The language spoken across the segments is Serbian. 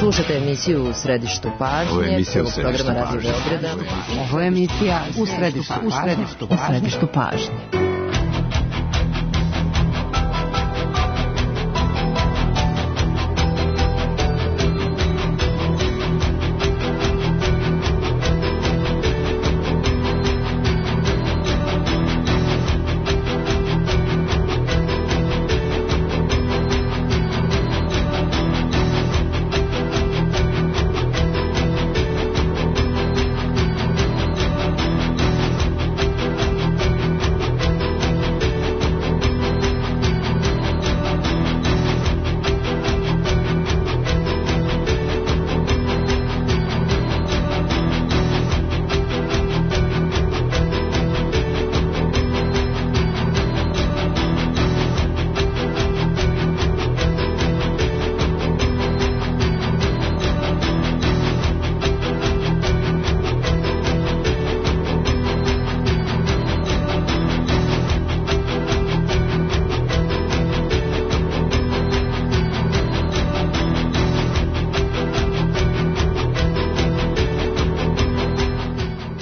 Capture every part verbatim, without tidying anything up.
Slušajte emisiju U središtu pažnje. Ovo je emisija U središtu pažnje. Ovo je emisija U središtu pažnje. U središtu pažnje. U središtu pažnje.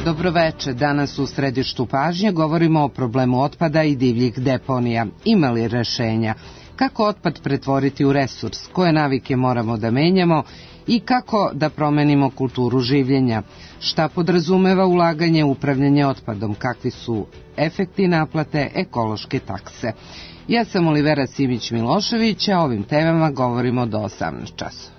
Dobroveče, danas u središtu pažnje govorimo o problemu otpada i divljih deponija. Ima li rešenja? Kako otpad pretvoriti u resurs? Koje navike moramo da menjamo? I kako da promenimo kulturu življenja? Šta podrazumeva ulaganje u upravljanje otpadom? Kakvi su efekti naplate ekološke takse? Ja sam Olivera Simić-Milošević, a o ovim temama govorimo do osamnaest časova.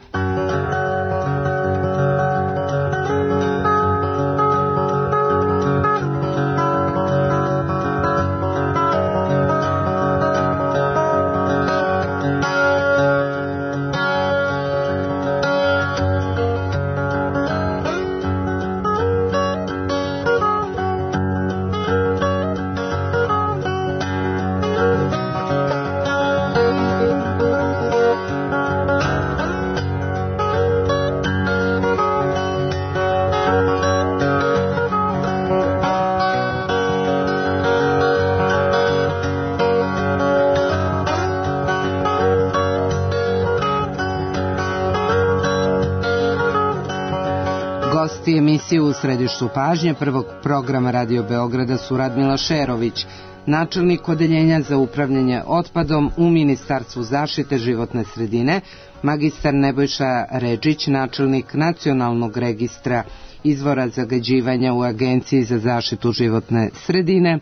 Gosti emisije U središtu pažnje prvog programa Radio Beograda su Radmila Šerović, načelnik Odeljenja za upravljanje otpadom u Ministarstvu zaštite životne sredine, magistar Nebojša Redžić, načelnik Nacionalnog registra izvora zagađivanja u Agenciji za zaštitu životne sredine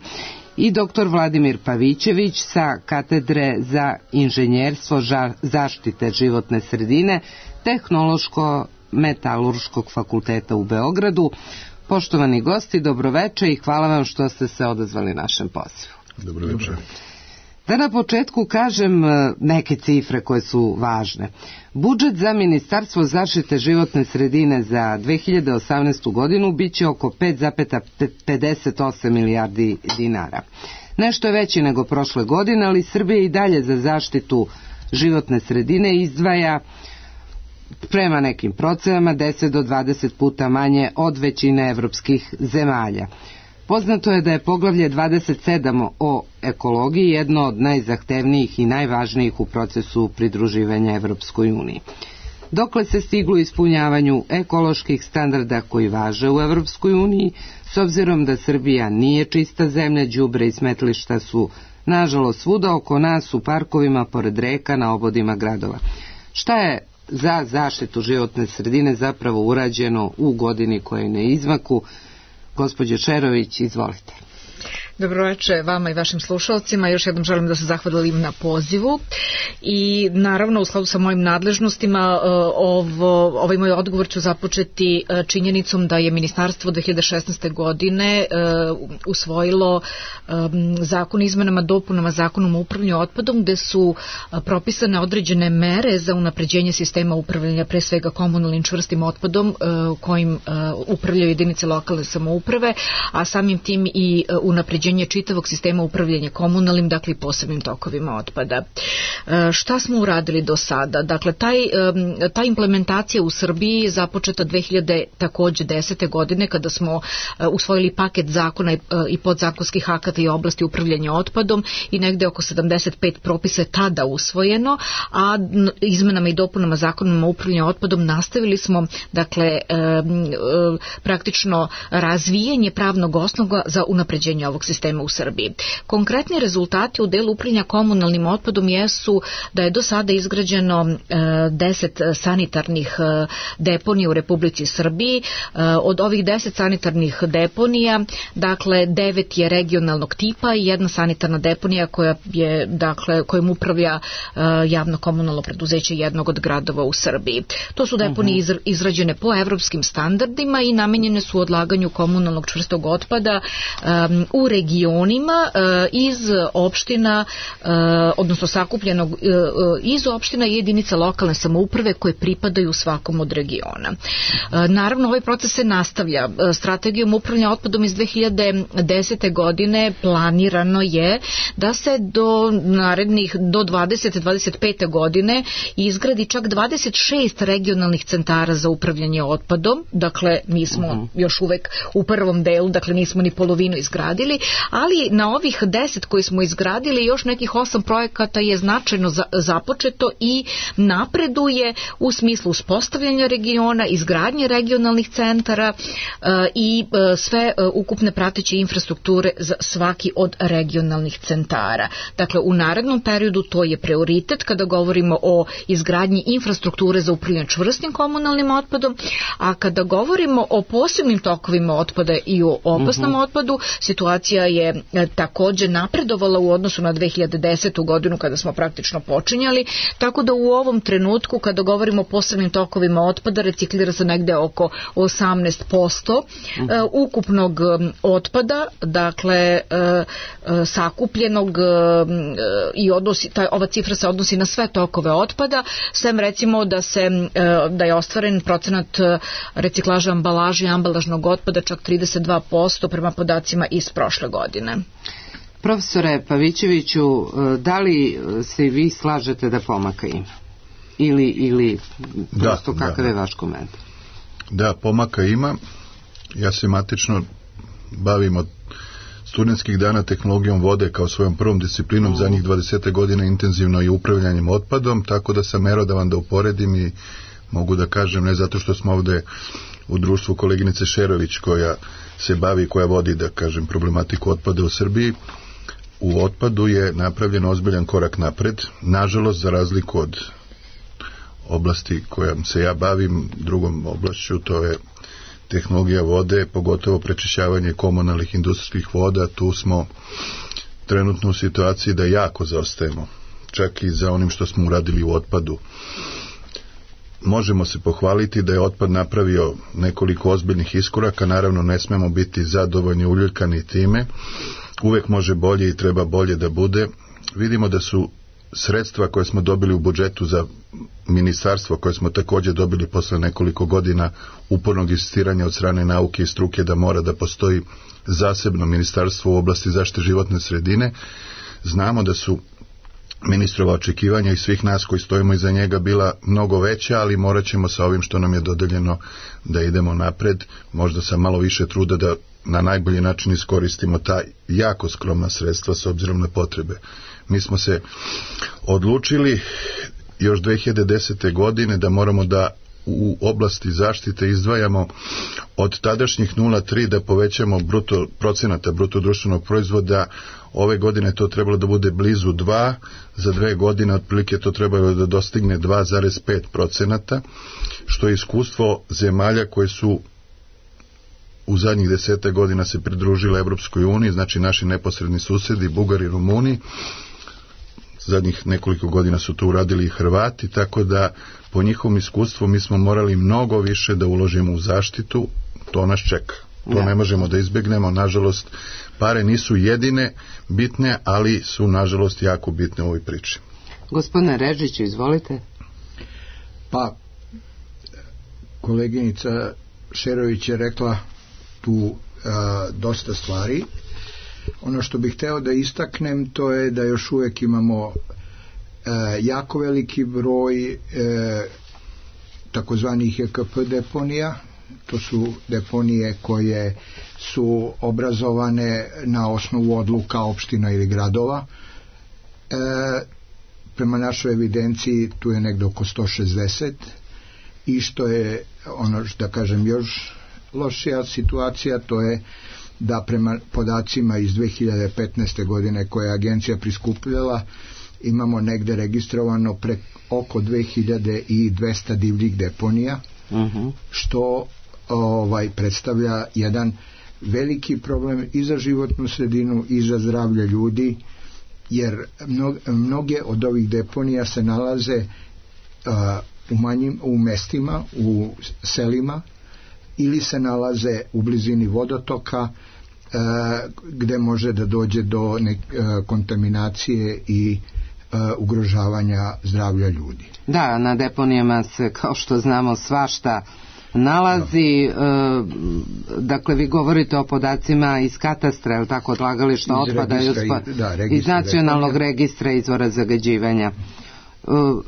i doktor Vladimir Pavićević sa Katedre za inženjerstvo zaštite životne sredine Tehnološko Metalurškog fakulteta u Beogradu. Poštovani gosti, dobroveče i hvala vam što ste se odazvali našem pozivu. Dobroveče. Da na početku kažem neke cifre koje su važne. Budžet za Ministarstvo zaštite životne sredine za dve hiljade osamnaestu. godinu biće oko pet zarez pedeset osam milijardi dinara. Nešto je veći nego prošle godine, ali Srbija i dalje za zaštitu životne sredine izdvaja prema nekim procenama deset do dvadeset puta manje od većine evropskih zemalja. Poznato je da je poglavlje dvadeset sedam o ekologiji jedno od najzahtevnijih i najvažnijih u procesu pridruživanja Evropskoj uniji. Dokle se stiglo ispunjavanju ekoloških standarda koji važe u Evropskoj uniji, s obzirom da Srbija nije čista zemlja, đubre i smetlišta su nažalost svuda oko nas, u parkovima, pored reka, na obodima gradova. Šta je za zaštitu životne sredine zapravo urađeno u godini koja je na izmaku? Gospođo Šerović, izvolite. Dobroveče vama i vašim slušalcima. Još jednom želim da se zahvalim na pozivu i naravno u skladu sa mojim nadležnostima ovo, ovaj moj odgovor ću započeti činjenicom da je Ministarstvo dve hiljade šesnaeste. godine usvojilo zakon o izmenama dopunama Zakonom o upravljanju otpadom, gde su propisane određene mere za unapređenje sistema upravljanja, pre svega komunalnim čvrstim otpadom kojim upravljaju jedinice lokalne samouprave, a samim tim i unapređenje čitavog sistema upravljanja komunalnim, dakle i posebnim tokovima otpada. Šta smo uradili do sada? Dakle, taj, ta implementacija u Srbiji je započeta dve hiljade desete godine kada smo usvojili paket zakona i podzakonskih akata i oblasti upravljanja otpadom i negde oko sedamdeset pet propisa je tada usvojeno, a izmenama i dopunama zakona o upravljanju otpadom nastavili smo, dakle, praktično razvijanje pravnog osnova za unapređenje ovog sistema u Srbiji. Konkretni rezultati u delu upravljanja komunalnim otpadom jesu da je do sada izgrađeno deset sanitarnih deponija u Republici Srbiji. Od ovih deset sanitarnih deponija, dakle, devet je regionalnog tipa i jedna sanitarna deponija koja je, dakle, kojom upravlja javno komunalno preduzeće jednog od gradova u Srbiji. To su deponije izrađene po evropskim standardima i namenjene su odlaganju komunalnog čvrstog otpada um, u regionima uh, iz opština, uh, odnosno sakupljenog uh, iz opština i jedinica lokalne samouprave koje pripadaju svakom od regiona. Uh, naravno, ovaj proces se nastavlja. Uh, strategijom upravljanja otpadom iz dve hiljade desete godine planirano je da se do narednih, do dvadesete dvadeset pete godine izgradi čak dvadeset šest regionalnih centara za upravljanje otpadom. Dakle, mi smo uh-huh. još uvek u prvom delu, dakle nismo ni polovinu izgradili, ali na ovih deset koji smo izgradili još nekih osam projekata je značajno za, započeto i napreduje u smislu uspostavljanja regiona, izgradnje regionalnih centara uh, i uh, sve uh, ukupne prateće infrastrukture za svaki od regionalnih centara. Dakle, u narednom periodu to je prioritet kada govorimo o izgradnji infrastrukture za upravljanje čvrstim komunalnim otpadom, a kada govorimo o posebnim tokovima otpada i o opasnom uh-huh. otpadu, situacija je e, takođe napredovala u odnosu na dve hiljade desetu godinu kada smo praktično počinjali, tako da u ovom trenutku kada govorimo o posebnim tokovima otpada reciklira se negde oko osamnaest posto uh-huh. e, ukupnog otpada, dakle e, e, sakupljenog e, i odnosi, taj, ova cifra se odnosi na sve tokove otpada, sem recimo da se e, da je ostvaren procenat reciklaža ambalaže i ambalažnog otpada čak trideset dva posto prema podacima iz prošle godine. Profesore Pavićeviću, da li se vi slažete da pomaka ima? Ili, ili prosto da, kakav da, je vaš komentar? Da, pomaka ima. Ja se matično bavim od studentskih dana tehnologijom vode kao svojom prvom disciplinom, za njih dvadeset godina intenzivno i upravljanjem otpadom, tako da sam merodavan da uporedim i mogu da kažem, ne zato što smo ovde u društvu koleginice Šerović koja se bavi, koja vodi, da kažem, problematiku otpada u Srbiji, u otpadu je napravljen ozbiljan korak napred. Nažalost, za razliku od oblasti kojom se ja bavim, drugom oblašću, to je tehnologija vode, pogotovo prečišćavanje komunalnih industrijskih voda, tu smo trenutno u situaciji da jako zaostajemo, čak i za onim što smo uradili u otpadu. Možemo se pohvaliti da je otpad napravio nekoliko ozbiljnih iskoraka, naravno ne smemo biti zadovoljni, uljuljkani time, uvek može bolje i treba bolje da bude. Vidimo da su sredstva koje smo dobili u budžetu za ministarstvo, koje smo također dobili posle nekoliko godina upornog insistiranja od strane nauke i struke da mora da postoji zasebno ministarstvo u oblasti zaštite životne sredine, znamo da su ministrova očekivanja i svih nas koji stojimo iza njega bila mnogo veća, ali morat ćemo sa ovim što nam je dodeljeno da idemo napred, možda sa malo više truda da na najbolji način iskoristimo ta jako skromna sredstva s obzirom na potrebe. Mi smo se odlučili još dve hiljade desete godine da moramo da u oblasti zaštite izdvajamo od tadašnjih nula zarez tri da povećamo bruto, procenata bruto društvenog proizvoda. Ove godine to trebalo da bude blizu dva, za dve godine otprilike to trebalo da dostigne dva zarez pet procenata, što je iskustvo zemalja koje su u zadnjih desete godina se pridružile Evropskoj uniji, znači naši neposredni susedi, Bugari i Rumuni. Zadnjih nekoliko godina su to uradili i Hrvati, tako da po njihovom iskustvu mi smo morali mnogo više da uložimo u zaštitu, to nas čeka. To ja. ne možemo da izbegnemo, nažalost, pare nisu jedine bitne, ali su nažalost jako bitne u ovoj priči. Gospodine Režiću, izvolite. Pa, koleginica Šerović je rekla tu a, dosta stvari. Ono što bih hteo da istaknem to je da još uvek imamo jako veliki broj e, takozvanih E K P deponija. To su deponije koje su obrazovane na osnovu odluka opština ili gradova. E, prema našoj evidenciji tu je negde oko sto šezdeset, i što je ono što da kažem još lošija situacija, to je da prema podacima iz dve hiljade petnaeste. godine koje je agencija priskupljala, imamo negde registrovano pre oko dve hiljade dvesta divljih deponija, uh-huh. što ovaj predstavlja jedan veliki problem i za životnu sredinu i za zdravlje ljudi, jer mnog, mnoge od ovih deponija se nalaze uh, u manjim u mestima, u selima, ili se nalaze u blizini vodotoka uh, gde može da dođe do nek, uh, kontaminacije i uh, ugrožavanja zdravlja ljudi. Da, na deponijama se, kao što znamo, svašta nalazi. No. Dakle, vi govorite o podacima iz katastra, je tako, odlagališta otpada iz, uspo... da, iz nacionalnog deponija. Registra izvora zagađivanja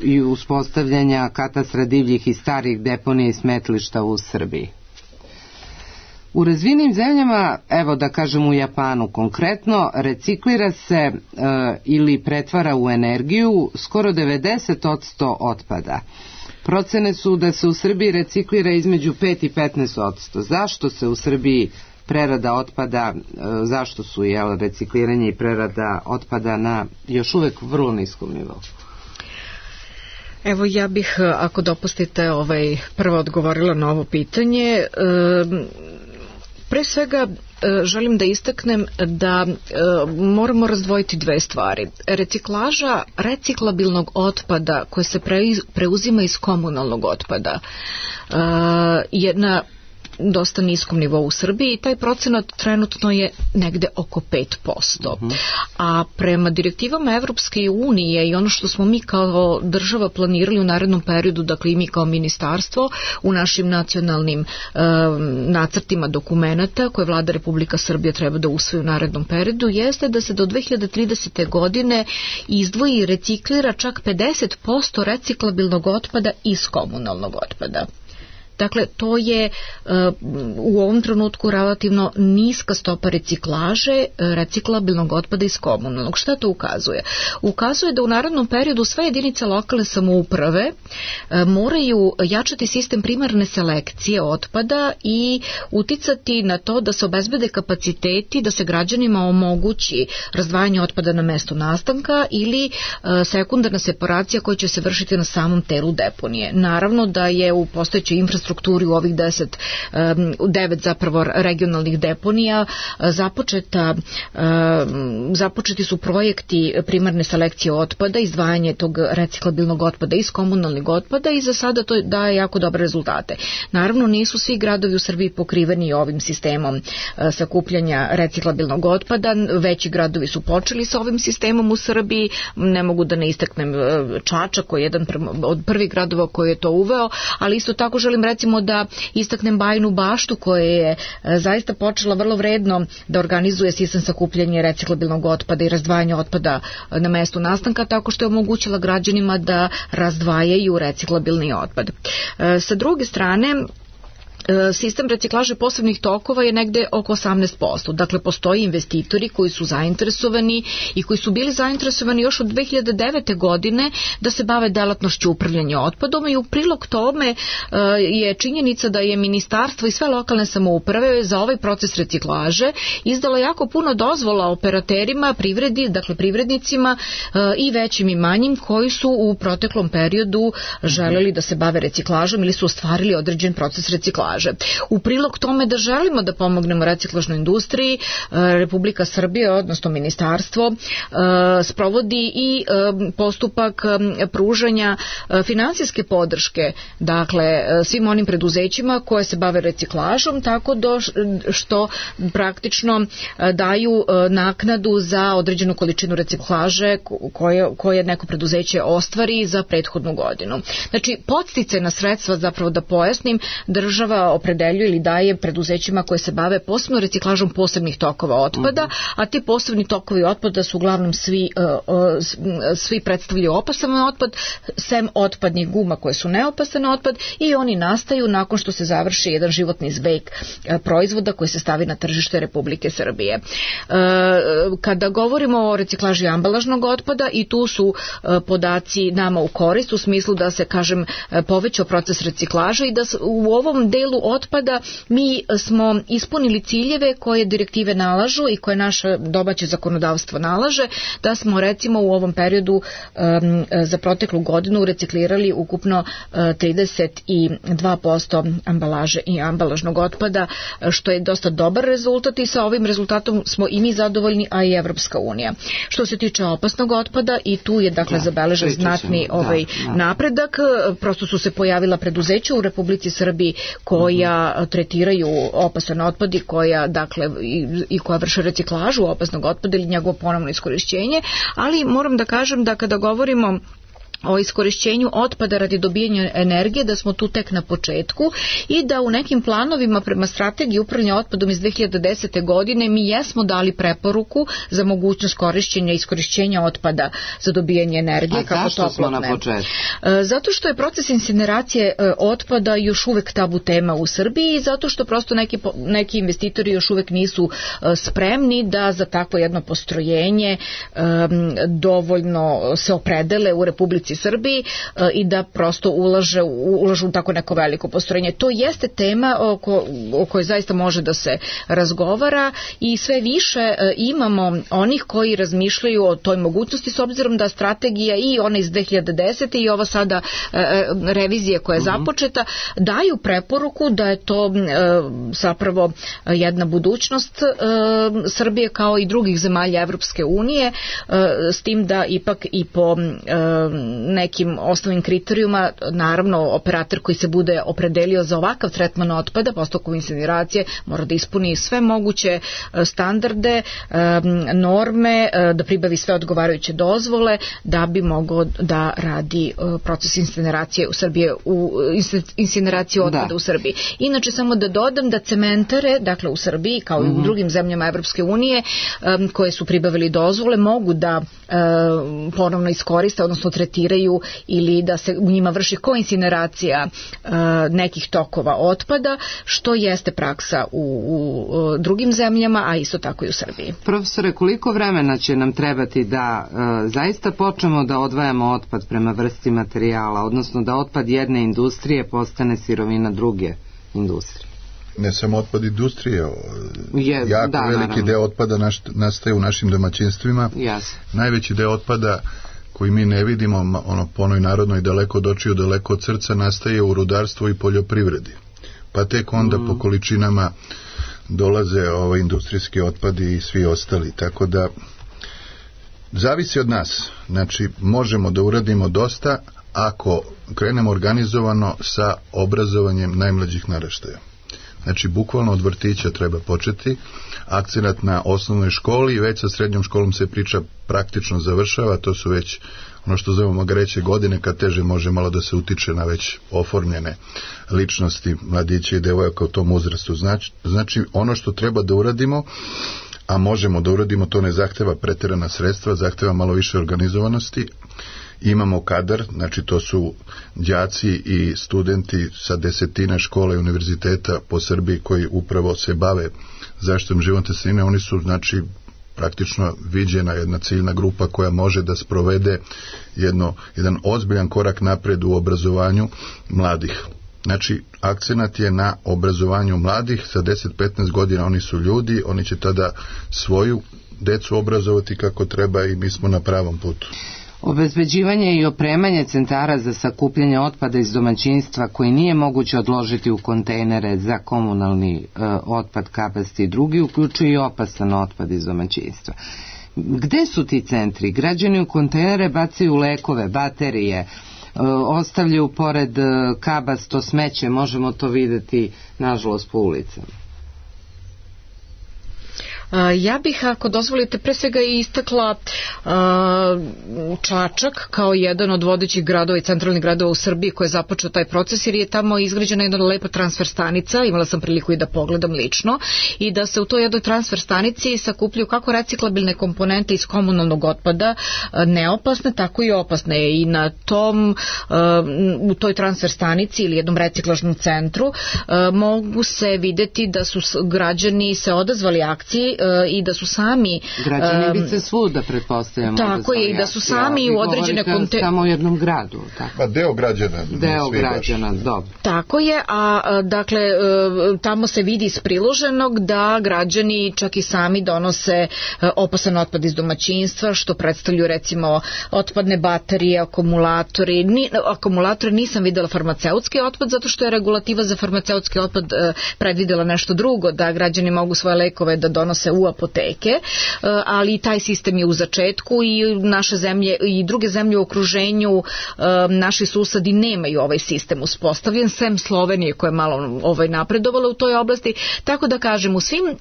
i uspostavljanja katastra divljih i starih deponija i smetlišta u Srbiji. U razvijenim zemljama, evo da kažem u Japanu konkretno, reciklira se e, ili pretvara u energiju skoro devedeset posto otpada. Procene su da se u Srbiji reciklira između pet i petnaest posto. Zašto se u Srbiji prerada otpada, zašto su jel, recikliranje i prerada otpada na još uvek vrlo niskom nivou? Evo, ja bih, ako dopustite, ovaj, prvo odgovorila na ovo pitanje. E, pre svega želim da istaknem da e, moramo razdvojiti dve stvari. Reciklaža reciklabilnog otpada koje se pre, preuzima iz komunalnog otpada e, je na dosta niskom nivou u Srbiji i taj procenat trenutno je negde oko pet posto. Uh-huh. A prema direktivama Evropske unije i ono što smo mi kao država planirali u narednom periodu, dakle i mi kao ministarstvo u našim nacionalnim um, nacrtima dokumenata koje Vlada Republika Srbija treba da usvoji u narednom periodu, jeste da se do dve hiljade tridesete. godine izdvoji i reciklira čak pedeset posto reciklabilnog otpada iz komunalnog otpada. Dakle, to je uh, u ovom trenutku relativno niska stopa reciklaže reciklabilnog otpada iz komunalnog. Šta to ukazuje? Ukazuje da u narednom periodu sve jedinice lokalne samouprave uh, moraju jačati sistem primarne selekcije otpada i uticati na to da se obezbede kapaciteti, da se građanima omogući razdvajanje otpada na mesto nastanka ili uh, sekundarna separacija koja će se vršiti na samom telu deponije. Naravno da je u postojećoj infrastrukturi strukturi u ovih deset, devet zapravo regionalnih deponija započeta, započeti su projekti primarne selekcije otpada, izdvajanje tog reciklabilnog otpada iz komunalnog otpada i za sada to daje jako dobre rezultate. Naravno, nisu svi gradovi u Srbiji pokriveni ovim sistemom sakupljanja reciklabilnog otpada, veći gradovi su počeli sa ovim sistemom u Srbiji, ne mogu da ne istaknem Čačak koji je jedan od prvih gradova koji je to uveo, ali isto tako želim recimo da istaknem Bajinu Baštu koja je zaista počela vrlo vredno da organizuje sistem sakupljanja reciklabilnog otpada i razdvajanja otpada na mestu nastanka tako što je omogućila građanima da razdvajaju reciklabilni otpad. Sa druge strane, sistem reciklaže posebnih tokova je negde oko osamnaest posto. Dakle, postoji investitori koji su zainteresovani i koji su bili zainteresovani još od dve hiljade devete. godine da se bave delatnošću upravljanja otpadom i u prilog tome je činjenica da je ministarstvo i sve lokalne samouprave za ovaj proces reciklaže izdalo jako puno dozvola operaterima, privredi, dakle privrednicima i većim i manjim koji su u proteklom periodu želeli da se bave reciklažom ili su ostvarili određen proces reciklaže. U prilog tome da želimo da pomognemo reciklažnoj industriji, Republika Srbija, odnosno ministarstvo, sprovodi i postupak pružanja finansijske podrške, dakle, svim onim preduzećima koje se bave reciklažom, tako do što praktično daju naknadu za određenu količinu reciklaže koje, koje neko preduzeće ostvari za prethodnu godinu. Znači, podsticajna sredstva, zapravo da pojasnim, država država opredeljuje ili daje preduzećima koje se bave posebno reciklažom posebnih tokova otpada, a ti posebni tokovi otpada su uglavnom svi, svi predstavljaju opasan otpad, sem otpadnih guma koje su neopasan otpad, i oni nastaju nakon što se završi jedan životni vek proizvoda koji se stavi na tržište Republike Srbije. Kada govorimo o reciklaži ambalažnog otpada, i tu su podaci nama u korist, u smislu da se, kažem, povećao proces reciklaže i da u ovom delu otpada mi smo ispunili ciljeve koje direktive nalažu i koje naše domaće zakonodavstvo nalaže, da smo recimo u ovom periodu um, za proteklu godinu reciklirali ukupno uh, trideset dva posto ambalaže i ambalažnog otpada, što je dosta dobar rezultat, i sa ovim rezultatom smo i mi zadovoljni, a i Evropska unija. Što se tiče opasnog otpada, i tu je dakle da, zabeležen znatni ovaj da, da. napredak. Prosto su se pojavila preduzeća u Republici Srbiji koja uh-huh. tretiraju opasan otpad i koja dakle i, i koja vrše reciklažu opasnog otpada ili njegovo ponovno iskorišćenje, ali moram da kažem da kada govorimo o iskorišćenju otpada radi dobijanja energije, da smo tu tek na početku i da u nekim planovima prema strategiji upravljanja otpadom iz dve hiljade desete. godine mi jesmo dali preporuku za mogućnost korišćenja i iskorišćenja otpada za dobijanje energije. A kako zašto smo na početku? Zato što je proces incineracije otpada još uvek tabu tema u Srbiji i zato što prosto neki, neki investitori još uvek nisu spremni da za takvo jedno postrojenje dovoljno se opredele u Republici Srbiji i da prosto ulaže, ulažu u tako neko veliko postrojenje. To jeste tema oko, o kojoj zaista može da se razgovara i sve više imamo onih koji razmišljaju o toj mogućnosti, s obzirom da strategija i ona iz dve hiljade desete. i ova sada revizija koja je započeta daju preporuku da je to zapravo jedna budućnost Srbije kao i drugih zemalja Evropske unije, s tim da ipak i po nekim osnovnim kriterijuma, naravno operator koji se bude opredelio za ovakav tretman otpada, postupkom incineracije, mora da ispuni sve moguće standarde, norme, da pribavi sve odgovarajuće dozvole da bi mogao da radi proces incineracije u Srbiji, u incineracije otpada da. u Srbiji. Inače, samo da dodam da cementare, dakle u Srbiji, kao mm-hmm. i u drugim zemljama Evropske unije, koje su pribavili dozvole, mogu da ponovno iskoriste, odnosno tretiraju ili da se u njima vrši koincineracija uh, nekih tokova otpada, što jeste praksa u, u, u drugim zemljama, a isto tako i u Srbiji. Profesore, koliko vremena će nam trebati da uh, zaista počnemo da odvajamo otpad prema vrsti materijala, odnosno da otpad jedne industrije postane sirovina druge industrije? Ne samo otpad industrije, Je, jako da, veliki naravno. deo otpada naš, nastaje u našim domaćinstvima. Yes. Najveći deo otpada koji mi ne vidimo, ono po onoj narodnoj daleko od očiju, daleko od srca, nastaje u rudarstvu i poljoprivredi. Pa tek onda mm. po količinama dolaze ovaj industrijski otpadi i svi ostali. Tako da zavisi od nas. Znači, možemo da uradimo dosta ako krenemo organizovano sa obrazovanjem najmlađih naraštaja. Znači, bukvalno od vrtića treba početi, akcenat na osnovnoj školi i već sa srednjom školom se priča praktično završava, to su već ono što zovemo greće godine, kad teže može malo da se utiče na već oformljene ličnosti mladića i devojaka u tom uzrastu. Znači, znači ono što treba da uradimo, a možemo da uradimo, to ne zahteva preterana sredstva, zahteva malo više organizovanosti. Imamo kadar, znači to su đaci i studenti sa desetina škola i univerziteta po Srbiji koji upravo se bave zaštitom životne sredine. Oni su, znači, praktično viđena jedna ciljna grupa koja može da sprovede jedno, jedan ozbiljan korak napred u obrazovanju mladih. Znači, akcenat je na obrazovanju mladih, sa deset do petnaest godina oni su ljudi, oni će tada svoju decu obrazovati kako treba i mi smo na pravom putu. Obezbeđivanje i opremanje centara za sakupljanje otpada iz domaćinstva koji nije moguće odložiti u kontejnere za komunalni e, otpad, kabasti i drugi, uključuje i opasan otpad iz domaćinstva. Gde su ti centri? Građani u kontejnere bacaju lekove, baterije, e, ostavljaju pored e, kabasto smeće, možemo to videti nažalost po ulicama. Ja bih, ako dozvolite, pre svega istakla Čačak kao jedan od vodećih gradova i centralnih gradova u Srbiji koji je započeo taj proces, jer je tamo izgrađena jedna lepa transfer stanica, imala sam priliku i da pogledam lično, i da se u toj jednoj transfer stanici sakupljaju kako reciklabilne komponente iz komunalnog otpada, neopasne, tako i opasne, i na tom, u toj transfer stanici ili jednom reciklažnom centru mogu se videti da su građani se odazvali akciji i da su sami... Građani bi se svuda, pretpostavljamo. Tako je, i da su sami u određene... Vi govorite samo u jednom gradu. Tako. Pa deo građana. Deo građana, dobro. Tako je, a dakle, tamo se vidi iz priloženog da građani čak i sami donose opasan otpad iz domaćinstva, što predstavljaju recimo otpadne baterije, akumulatori. Ni, akumulatori nisam videla farmaceutski otpad, zato što je regulativa za farmaceutski otpad predvidela nešto drugo, da građani mogu svoje lekove da donose u apoteke, ali taj sistem je u začetku i naše zemlje i druge zemlje u okruženju, naši susedi nemaju ovaj sistem uspostavljen, sem Slovenije koja je malo ovaj napredovala u toj oblasti, tako da kažem, u svim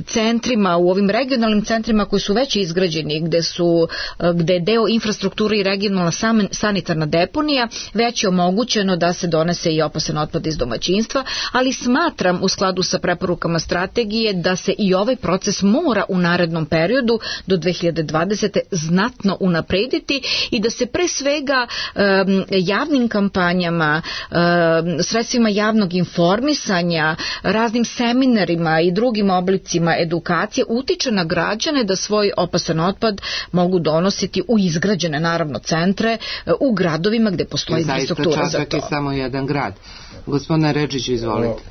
centrima, u ovim regionalnim centrima koji su već izgrađeni, gde su gde je deo infrastrukture i regionalna sanitarna deponija, već je omogućeno da se donese i opasan otpad iz domaćinstva, ali smatram u skladu sa preporukama strategije da se i ovaj proces mora u narednom periodu do dve hiljade dvadesete znatno unaprediti i da se pre svega um, javnim kampanjama, um, sredstvima javnog informisanja, raznim seminarima i drugim oblicima edukacije utiče na građane da svoj opasan otpad mogu donositi u izgrađene naravno centre u gradovima gde postoji infrastruktura za to. Čačak je samo jedan grad. Gospodine Redžić, izvolite.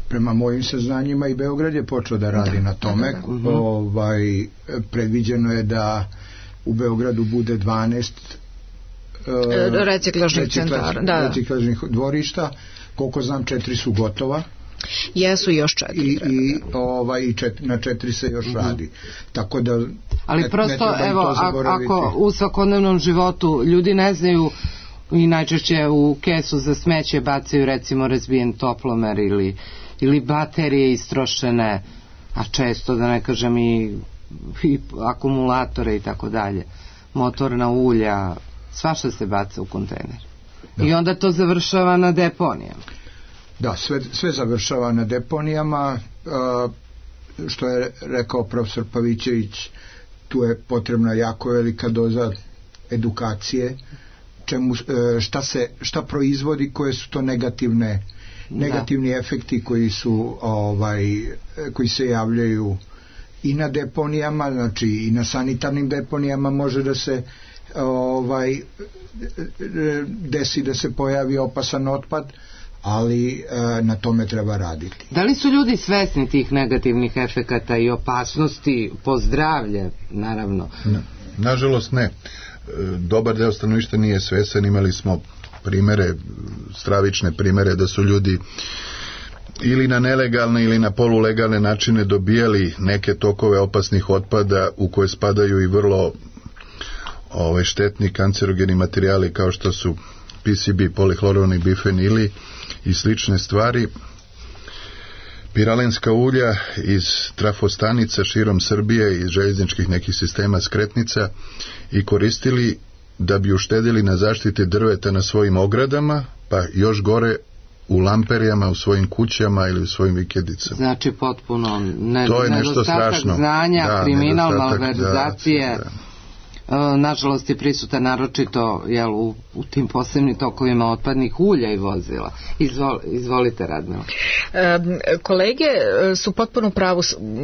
Prema mojim saznanjima i Beograd je počeo da radi na tome. Uh-huh. Ovaj, predviđeno je da u Beogradu bude dvanaest uh, reciklažnih centara, da. reciklažnih dvorišta. Koliko znam, četiri su gotova. Jesu još četiri. I, i, ovaj, i čet, na četiri se još uh-huh. radi. Tako da ali ne, prosto, ne evo, ako u svakodnevnom životu ljudi ne znaju i najčešće u kesu za smeće bacaju recimo razbijen toplomer ili, ili baterije istrošene, a često da ne kažem i, i akumulatore i tako dalje, motorna ulja, svašta se baca u kontejner. Da. I onda to završava na deponijama. Da, sve, sve završava na deponijama, uh, što je rekao profesor Pavićević, tu je potrebna jako velika doza edukacije, čemu, šta se šta proizvodi, koje su to negativne negativni da. efekti koji su ovaj koji se javljaju i na deponijama, znači i na sanitarnim deponijama može da se ovaj desi da se pojavi opasan otpad, ali e, na tome treba raditi. Da li su ljudi svesni tih negativnih efekata i opasnosti po zdravlje, naravno? Ne. Nažalost ne. Dobar deo stanovništva nije svesan. Imali smo primere, stravične primere da su ljudi ili na nelegalne ili na polulegalne načine dobijali neke tokove opasnih otpada u koje spadaju i vrlo ove, štetni kancerogeni materijali kao što su P C B, polihlorovanih bifenili i slične stvari, piralenska ulja iz trafostanica širom Srbije, iz željezničkih nekih sistema skretnica, i koristili da bi uštedili na zaštiti drveta na svojim ogradama, pa još gore u lamperijama u svojim kućama ili u svojim vikendicama. Znači potpuno ne, to je nešto strašno. Znanja, da, kriminal, malverzacije. Da, da. Nažalost je prisutan naročito jel, u, u tim posebnim tokovima otpadnih ulja i vozila. Izvol, izvolite, Radmila. E, kolege su potpuno pravo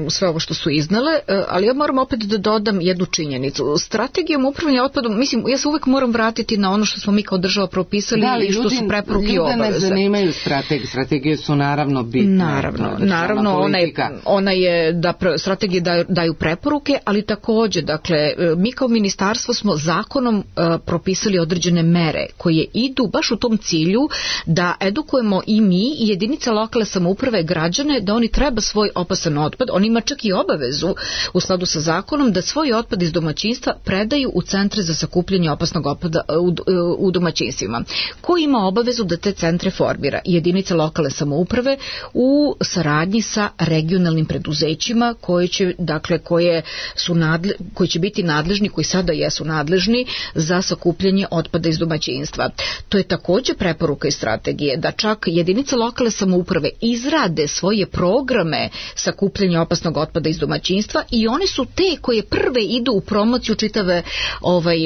sve ovo što su iznale, ali ja moram opet da dodam jednu činjenicu. Strategijom upravljanja otpadom, mislim, ja se uvek moram vratiti na ono što smo mi kao država propisali da, i što ljudi, su preporuke i obaveze. Ljude ne zanimaju strategije. Strategije su naravno bitne. Naravno, naravno ona je, ona je da strategije daju, daju preporuke, ali takođe, dakle, mi kao ministarstvo ministarstvo smo zakonom uh, propisali određene mere koje idu baš u tom cilju da edukujemo i mi i jedinice lokalne samouprave građane da oni treba svoj opasan otpad, oni ima čak i obavezu u skladu sa zakonom da svoj otpad iz domaćinstva predaju u centre za sakupljanje opasnog otpada u, u domaćinstvima. Ko ima obavezu da te centre formira? Jedinica lokalne samouprave u saradnji sa regionalnim preduzećima koje će, dakle, koje su nadle, koji će biti nadležni, koji sada jesu nadležni za sakupljanje otpada iz domaćinstva. To je takođe preporuka i strategije da čak jedinice lokalne samouprave izrade svoje programe sakupljanja opasnog otpada iz domaćinstva i one su te koje prve idu u promociju čitave ovaj,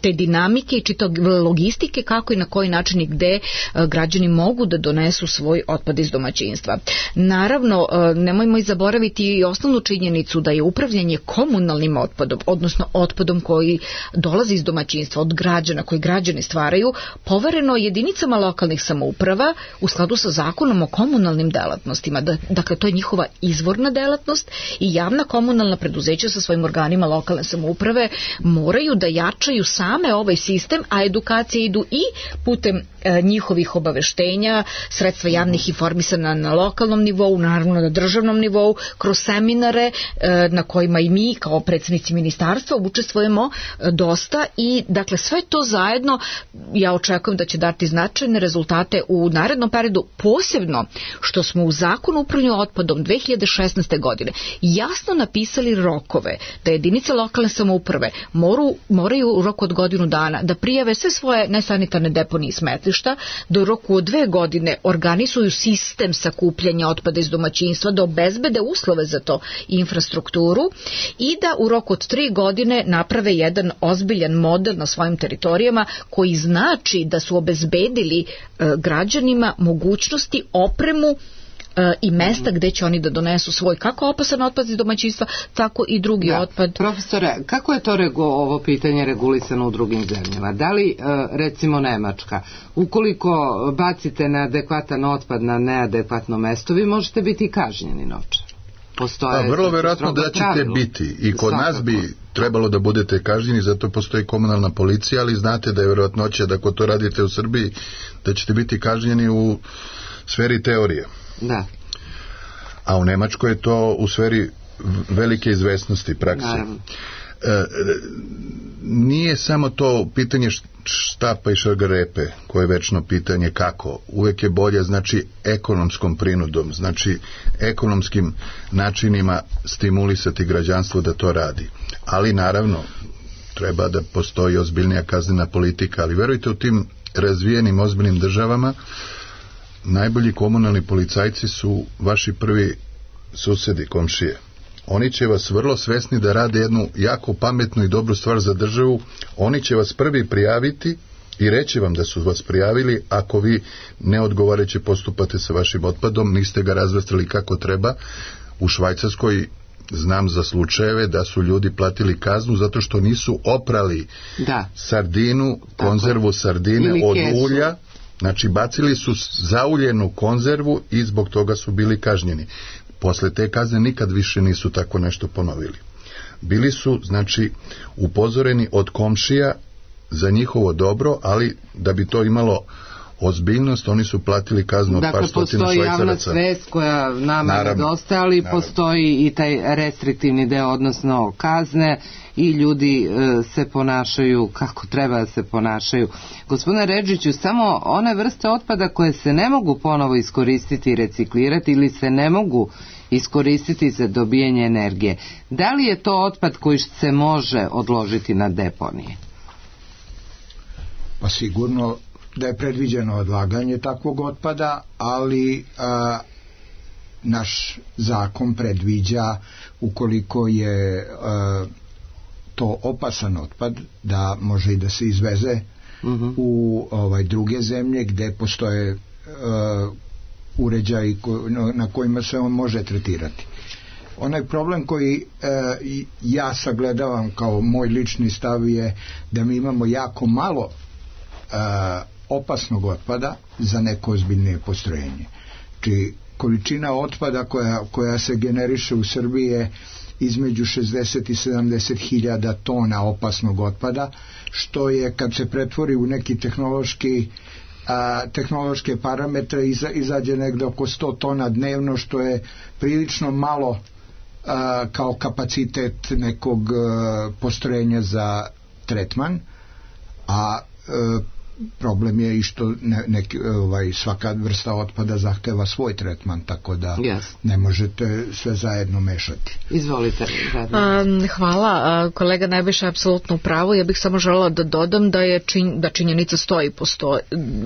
te dinamike i čitave logistike kako i na koji način i gde građani mogu da donesu svoj otpad iz domaćinstva. Naravno, nemojmo i zaboraviti i osnovnu činjenicu da je upravljanje komunalnim otpadom, odnosno otpadom koji dolazi iz domaćinstva od građana, koji građani stvaraju, povereno jedinicama lokalnih samouprava u skladu sa zakonom o komunalnim delatnostima. Dakle, to je njihova izvorna delatnost i javna komunalna preduzeća sa svojim organima lokalne samouprave moraju da jačaju same ovaj sistem, a edukacije idu i putem e, njihovih obaveštenja, sredstva javnih informisanja na lokalnom nivou, naravno na državnom nivou, kroz seminare e, na kojima i mi kao predsednici ministarstva učestvujemo e, dosta i dakle sve to zajedno ja očekujem da će dati značajne rezultate u narednom periodu, posebno što smo u zakonu o upravljanju otpadom dve hiljade šesnaeste. godine jasno napisali rokove da jedinice lokalne samouprave moru, moraju u roku od godinu dana da prijave sve svoje nesanitarne deponije i smetlišta, da u roku od dve godine organizuju sistem sakupljanja otpada iz domaćinstva, da obezbede uslove za to i infrastrukturu i da u roku od tri godine naprave jedan ozbiljan model na svojim teritorijama koji znači da su obezbedili e, građanima mogućnosti, opremu i mesta gde će oni da donesu svoj kako opasan otpad iz domaćinstva, tako i drugi da. otpad. Profesore, kako je to regu, ovo pitanje regulisano u drugim zemljama? Da li, recimo Nemačka, ukoliko bacite neadekvatan otpad na neadekvatno mesto, vi možete biti kažnjeni novčano? Postoje pa, vrlo verovatno da ćete pravilu. biti i kod Svakako. nas bi trebalo da budete kažnjeni, zato postoji komunalna policija, ali znate da je verovatnoća da ako to radite u Srbiji, da ćete biti kažnjeni u sferi teorije. Da. A u Nemačkoj je to u sferi velike izvesnosti prakse. E, nije samo to pitanje štapa i šargarepe koje je večno pitanje kako. Uvek je bolje, znači, ekonomskom prinudom, znači ekonomskim načinima stimulisati građanstvo da to radi. Ali naravno treba da postoji ozbiljnija kaznena politika, ali verujte, u tim razvijenim ozbiljnim državama najbolji komunalni policajci su vaši prvi susedi, komšije. Oni će vas vrlo svesni da rade jednu jako pametnu i dobru stvar za državu. Oni će vas prvi prijaviti i reći vam da su vas prijavili ako vi neodgovarajuće postupate sa vašim otpadom, niste ga razvrstali kako treba. U Švajcarskoj znam za slučajeve da su ljudi platili kaznu zato što nisu oprali da. sardinu, konzervu sardine od ulja. Znači, bacili su zauljenu konzervu i zbog toga su bili kažnjeni. Posle te kazne nikad više nisu tako nešto ponovili. Bili su, znači, upozoreni od komšija za njihovo dobro, ali da bi to imalo ozbiljnost, oni su platili kaznu od dakle, par stotina švajcaraca. Dakle, postoji javna svest koja nama nedostaje, ali naravno. Postoji i taj restriktivni deo, odnosno kazne, i ljudi e, se ponašaju kako treba da se ponašaju. Gospodine Redžiću, samo one vrste otpada koje se ne mogu ponovo iskoristiti i reciklirati ili se ne mogu iskoristiti za dobijanje energije, da li je to otpad koji se može odložiti na deponije? Pa sigurno da je predviđeno odlaganje takvog otpada, ali a, naš zakon predviđa, ukoliko je a, to opasan otpad, da može i da se izveze uh-huh. u ovaj, druge zemlje gde postoje a, uređaji ko, na kojima se on može tretirati. Onaj problem koji a, ja sagledavam kao moj lični stav je da mi imamo jako malo a, opasnog otpada za neko ozbiljnije postrojenje. Či količina otpada koja, koja se generiše u Srbiji je između šezdeset i sedamdeset hiljada tona opasnog otpada, što je kad se pretvori u neki tehnološki a, tehnološke parametre iza, izađe negde oko sto tona dnevno, što je prilično malo a, kao kapacitet nekog a, postrojenja za tretman, a a, problem je i što ne, neki, ovaj, svaka vrsta otpada zahteva svoj tretman, tako da yes. ne možete sve zajedno mešati. Izvolite. A, hvala. A, kolega Nebojša je apsolutno u pravu. Ja bih samo želela da dodam da je čin, da činjenica stoji postoji,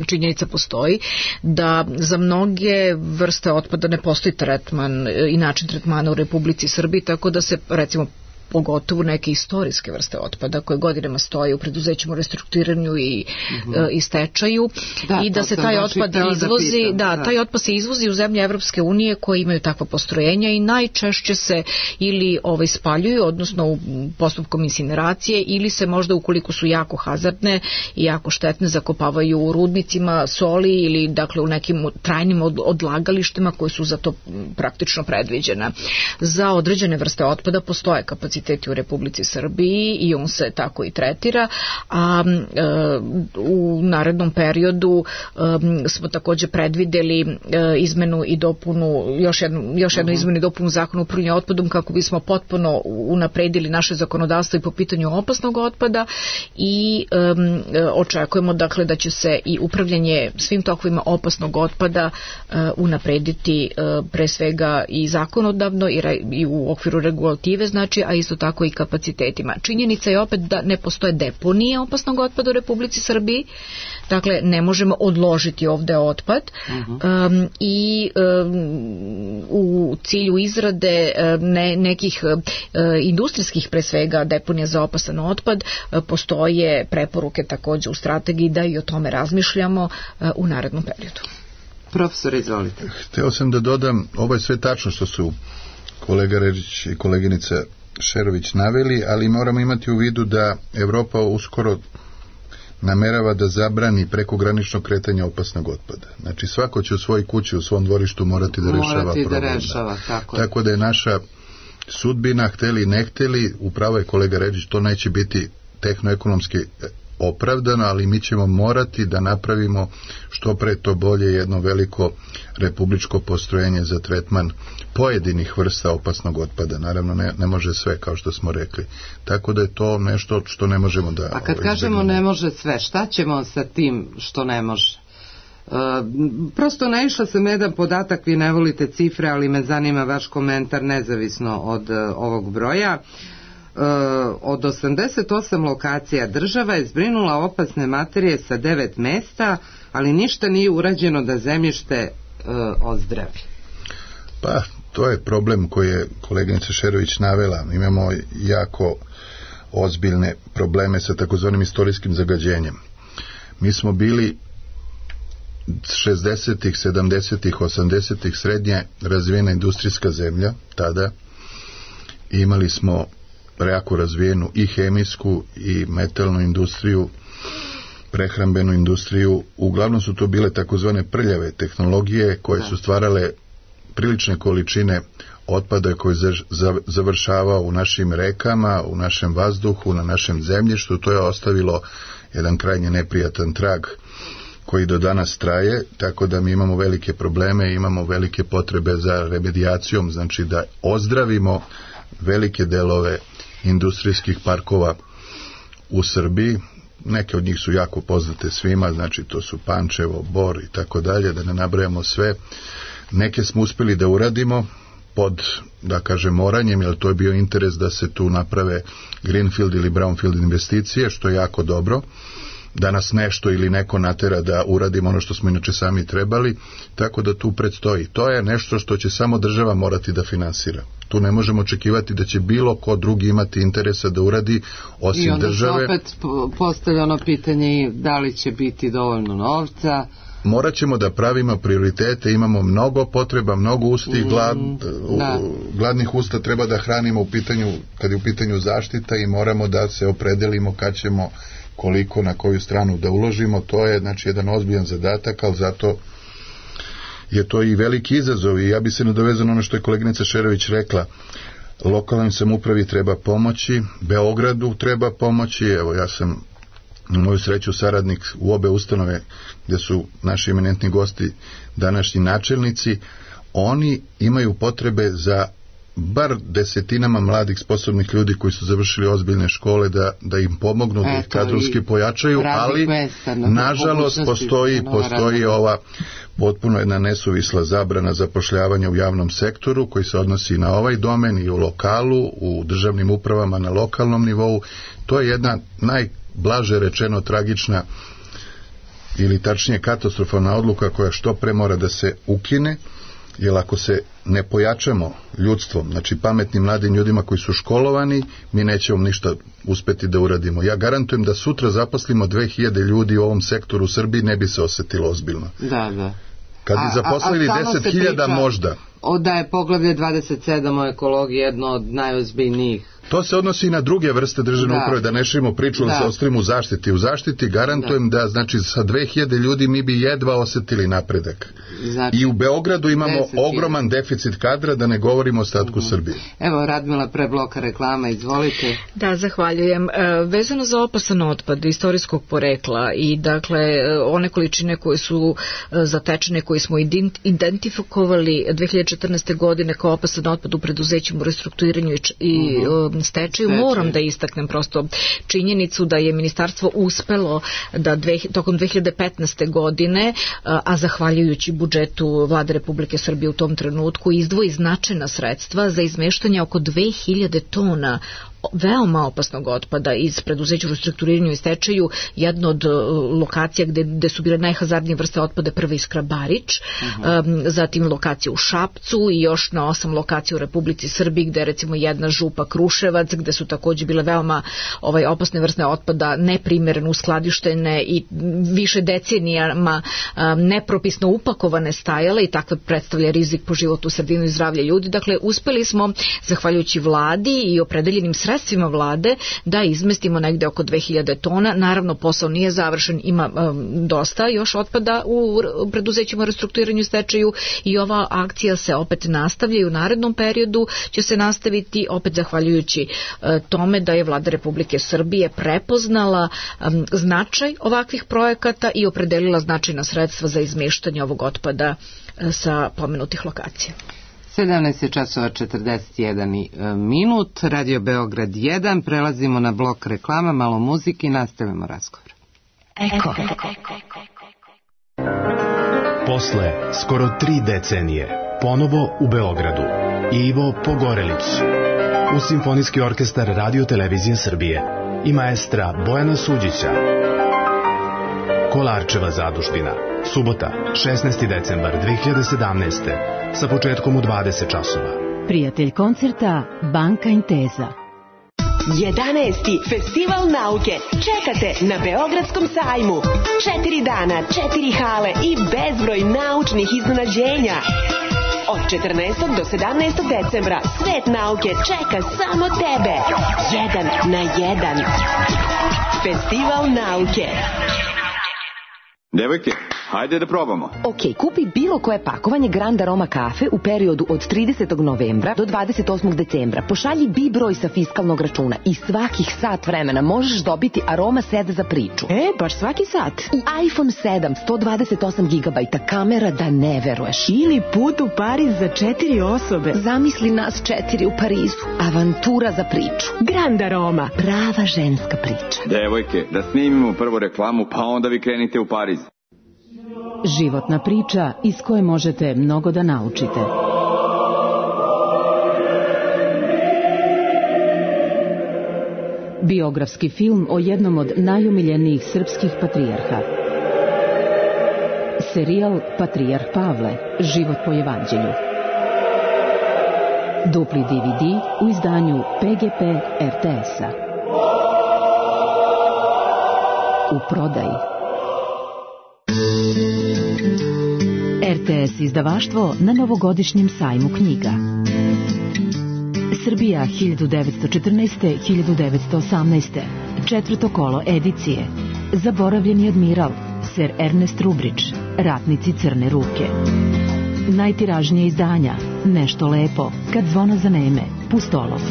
činjenica postoji da za mnoge vrste otpada ne postoji tretman i način tretmana u Republici Srbiji, tako da se recimo pogotovo neke istorijske vrste otpada koje godinama stoje u preduzećima u restrukturiranju i, uh-huh. i stečaju da, i da se taj otpad izvozi, da, da, da, taj otpad se izvozi u zemlje Evropske unije koje imaju takva postrojenja i najčešće se ili ovaj spaljuju, odnosno u postupkom incineracije, ili se možda ukoliko su jako hazardne i jako štetne zakopavaju u rudnicima soli ili dakle u nekim trajnim odlagalištima koji su za to praktično predviđena. Za određene vrste otpada postoje kapaciteti u Republici Srbiji i on se tako i tretira, a e, u narednom periodu e, smo takođe predvideli e, izmenu i dopunu, još jednu, još jednu uh-huh. izmenu i dopunu zakona o upravljanju otpadom kako bismo potpuno unapredili naše zakonodavstvo i po pitanju opasnog otpada i e, očekujemo dakle da će se i upravljanje svim tokovima opasnog otpada e, unaprediti e, pre svega i zakonodavno i, re, i u okviru regulative, znači, a isto tako i kapacitetima. Činjenica je opet da ne postoje deponije opasnog otpada u Republici Srbiji, dakle ne možemo odložiti ovde otpad uh-huh. um, i um, u cilju izrade ne, nekih uh, industrijskih pre svega deponija za opasan otpad uh, postoje preporuke takođe u strategiji da i o tome razmišljamo uh, u narednom periodu. Profesor, izvolite. Hteo sam da dodam, ovo je sve tačno što su kolega Režić i koleginica Šerović naveli, ali moramo imati u vidu da Evropa uskoro namerava da zabrani prekogranično kretanje opasnog otpada. Znači svako će u svojoj kući, u svom dvorištu morati da rešava morati problem. Da rešava, tako, tako da je naša sudbina, hteli ne hteli, upravo je kolega Ređić, to neće biti tehnoekonomski opravdano, ali mi ćemo morati da napravimo što pre to bolje jedno veliko republičko postrojenje za tretman pojedinih vrsta opasnog otpada. Naravno ne, ne može sve, kao što smo rekli. Tako da je to nešto što ne možemo da... A kad kažemo ne može sve, šta ćemo sa tim što ne može? E, prosto naišla sam jedan podatak, vi ne volite cifre, ali me zanima vaš komentar nezavisno od uh, ovog broja. Uh, od osamdeset osam lokacija država je zbrinula opasne materije sa devet mesta, ali ništa nije urađeno da zemljište uh, ozdravi. Pa, to je problem koji je koleginica Šerović navela. Imamo jako ozbiljne probleme sa takozvanim istorijskim zagađenjem. Mi smo bili šezdesetih, sedamdesetih, osamdesetih srednje razvijena industrijska zemlja tada. Imali smo jako razvijenu i hemijsku i metalnu industriju, prehrambenu industriju. Uglavnom su to bile takozvane prljave tehnologije koje su stvarale prilične količine otpada koji završavao u našim rekama, u našem vazduhu, na našem zemljištu. To je ostavilo jedan krajnje neprijatan trag koji do danas traje, tako da mi imamo velike probleme, imamo velike potrebe za remedijacijom, znači da ozdravimo velike delove industrijskih parkova u Srbiji. Neke od njih su jako poznate svima, znači to su Pančevo, Bor i tako dalje, da ne nabrajamo sve. Neke smo uspeli da uradimo pod, da kažem, moranjem, jer to je bio interes da se tu naprave greenfield ili brownfield investicije, što je jako dobro, da nas nešto ili neko natera da uradimo ono što smo inače sami trebali, tako da tu predstoji. To je nešto što će samo država morati da finansira. Tu ne možemo očekivati da će bilo ko drugi imati interesa da uradi osim države. I onda se opet postavlja ono pitanje da li će biti dovoljno novca. Morat ćemo da pravimo prioritete, imamo mnogo potreba, mnogo usti, glad, da. gladnih usta treba da hranimo u pitanju, kad je u pitanju zaštita, i moramo da se opredelimo kad ćemo, koliko, na koju stranu da uložimo. To je znači jedan ozbiljan zadatak, ali zato je to i veliki izazov. I ja bi se nadovezao na ono što je koleginica Šerović rekla. lokalnoj samoupravi treba pomoći, Beogradu treba pomoći. Evo, ja sam na moju sreću saradnik u obe ustanove gde su naši eminentni gosti današnji načelnici. Oni imaju potrebe za bar desetinama mladih sposobnih ljudi koji su završili ozbiljne škole da, da im pomognu, da ih kadrovski pojačaju, ali mesta, na nažalost postoji, postoji ova potpuno jedna nesuvisla zabrana zapošljavanja u javnom sektoru koji se odnosi na ovaj domen i u lokalu, u državnim upravama na lokalnom nivou. To je jedna najblaže rečeno tragična ili tačnije katastrofalna odluka koja što pre mora da se ukine, jer ako se ne pojačamo ljudstvom, znači pametnim mladim ljudima koji su školovani, mi nećemo ništa uspeti da uradimo. Ja garantujem da sutra zaposlimo dve hiljade ljudi u ovom sektoru u Srbiji, ne bi se osetilo ozbiljno. Da, da. Kad bi zaposlili deset hiljada možda. O da je poglavlje dvadeset sedam o ekologiji jedno od najozbiljnijih. To se odnosi i na druge vrste državne uprave, da ne širimo priču, da se ostavimo u zaštiti. U zaštiti garantujem da, da znači, sa dve hiljade ljudi mi bi jedva osetili napredak. Znači, i u Beogradu imamo ogroman deficit kadra, da ne govorimo o ostatku uh-huh. Srbije. Evo, Radmila, pre bloka reklama, izvolite. Da, zahvaljujem. E, vezano za opasan otpad istorijskog porekla i dakle one količine koje su e, zatečene, koje smo identifikovali dve hiljade četrnaeste. godine kao opasan otpad u preduzećima u restrukturiranju i, i uh-huh. stečaju, moram da istaknem prosto činjenicu da je ministarstvo uspelo da dve, tokom dve hiljade petnaeste. godine, a zahvaljujući budžetu Vlade Republike Srbije u tom trenutku, izdvoji značajna sredstva za izmeštanje oko dve hiljade tona veoma opasnog otpada iz preduzeća u restrukturiranju i stečaju. Jedna od lokacija gde, gde su bile najhazardnije vrste otpada, prva Iskra Barič, uh-huh. um, zatim lokacija u Šapcu i još na osam lokacija u Republici Srbiji, gde recimo jedna Župa Kruševac, gde su takođe bile veoma ovaj, opasne vrste otpada neprimereno uskladištene i više decenijama um, nepropisno upakovane stajale i takve predstavlja rizik po životu, sredinu i zdravlje ljudi. Dakle, uspeli smo, zahvaljujući vladi i opredeljenim sredstvima sredstvima vlade, da izmestimo negde oko dve hiljade tona. Naravno, posao nije završen, ima um, dosta još otpada u preduzećima restrukturiranju i stečaju i ova akcija se opet nastavlja i u narednom periodu će se nastaviti, opet zahvaljujući uh, tome da je Vlada Republike Srbije prepoznala um, značaj ovakvih projekata i opredelila značajna sredstva za izmeštanje ovog otpada uh, sa pomenutih lokacija. sedamnaest časova četrdeset jedan minut, Radio Beograd jedan, prelazimo na blok reklama, malo muzike i nastavimo razgovor. Eko. Posle skoro tri decenije, ponovo u Beogradu, Ivo Pogorelić, u Simfonijski orkestar Radio Televizije Srbije i maestra Bojana Suđića. Kolarčeva zadužbina, subota, šesnaesti decembar dve hiljade sedamnaeste. sa početkom u dvadeset časova. Prijatelj koncerta Banka Inteza. jedanaesti Festival nauke čekate na Beogradskom sajmu. Četiri dana, četiri hale i bezbroj naučnih iznenađenja. Od četrnaestog do sedamnaestog decembra svet nauke čeka samo tebe. Jedan na jedan. Festival nauke. Devojke, hajde da probamo. Ok, kupi bilo koje pakovanje Grand Aroma kafe u periodu od tridesetog novembra do dvadeset osmog decembra. Pošalji B I broj sa fiskalnog računa i svakih sat vremena možeš dobiti Aroma set za priču. E, baš svaki sat. I iPhone sedam, sto dvadeset osam gigabajta, kamera da ne veruješ. Ili put u Pariz za četiri osobe. Zamisli nas četiri u Parizu. Avantura za priču. Grand Aroma, prava ženska priča. Devojke, da snimimo prvu reklamu, pa onda vi krenite u Pariz. Životna priča iz koje možete mnogo da naučite. Biografski film o jednom od najomiljenijih srpskih patrijarha. Serijal Patrijarh Pavle, život po evanđelju. Dupli D V D u izdanju P G P R T S-a. U prodaji. R T S izdavaštvo na novogodišnjem sajmu knjiga. Srbija hiljadu devetsto četrnaeste do hiljadu devetsto osamnaeste. Četvrto kolo edicije. Zaboravljeni admiral, Ser Ernest Rubrić, Ratnici crne ruke. Najtiražnije izdanja, Nešto lepo, Kad zvono zaneme, Pustolov.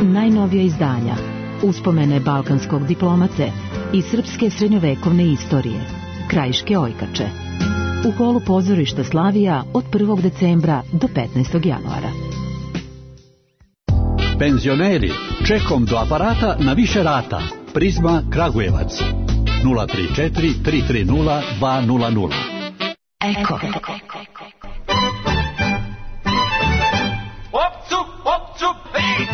Najnovija izdanja, uspomene balkanskog diplomate i srpske srednjovekovne istorije, Krajiške ojkače. U holu pozorišta Slavija od prvog decembra do petnaestog januara. Penzioneri, čekom do aparata na više rata. Prizma Kragujevac. nula tri četiri tri tri nula dva nula nula. Eko.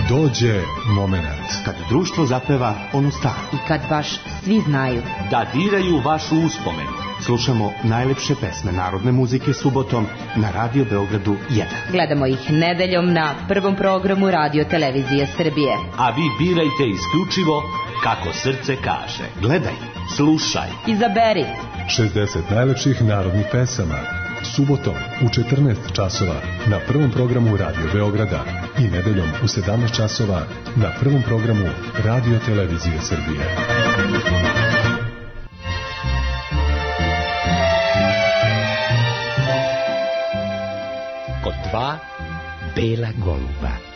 Dođe moment kad društvo zapeva onu staru. I kad baš svi znaju da diraju vaš uspomen. Slušamo najlepše pesme narodne muzike subotom na Radio Beogradu jedan. Gledamo ih nedeljom na prvom programu Radio Televizije Srbije. A vi birajte isključivo kako srce kaže. Gledaj, slušaj, izaberi. šezdeset najlepših narodnih pesama. Subotom u četrnaest časova na prvom programu Radio Beograda i nedeljom u sedamnaest časova na prvom programu Radio Televizije Srbije. Kod dva bela goluba.